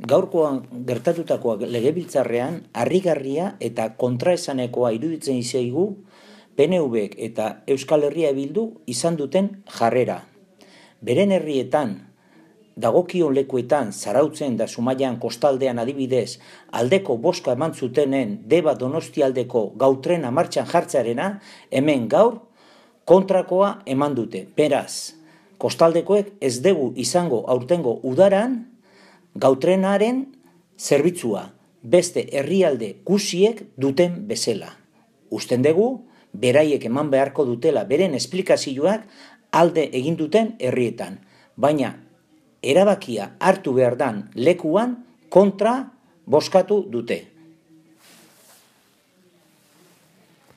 Gaurkoan gertatutakoa legebiltzarrean harrigarria eta kontraesanekoa iruditzen zaigu PNVk eta Euskal Herria Bildu izan duten jarrera. Beren herrietan, dagokion lekuetan, Zarautzen da Zumaian kostaldean adibidez, aldeko boska eman zutenen Deba Donostialdeko gautrena martxan jartzearena, hemen gaur kontrakoa eman dute. Beraz, kostaldekoek ez dugu izango aurtengo udaran gautrenaren zerbitzua, beste herrialde guziek duten bezala. Usten dugu, beraiek eman beharko dutela beren esplikazioak alde egin duten herrietan, baina erabakia hartu behar dan lekuan kontra bozkatu dute.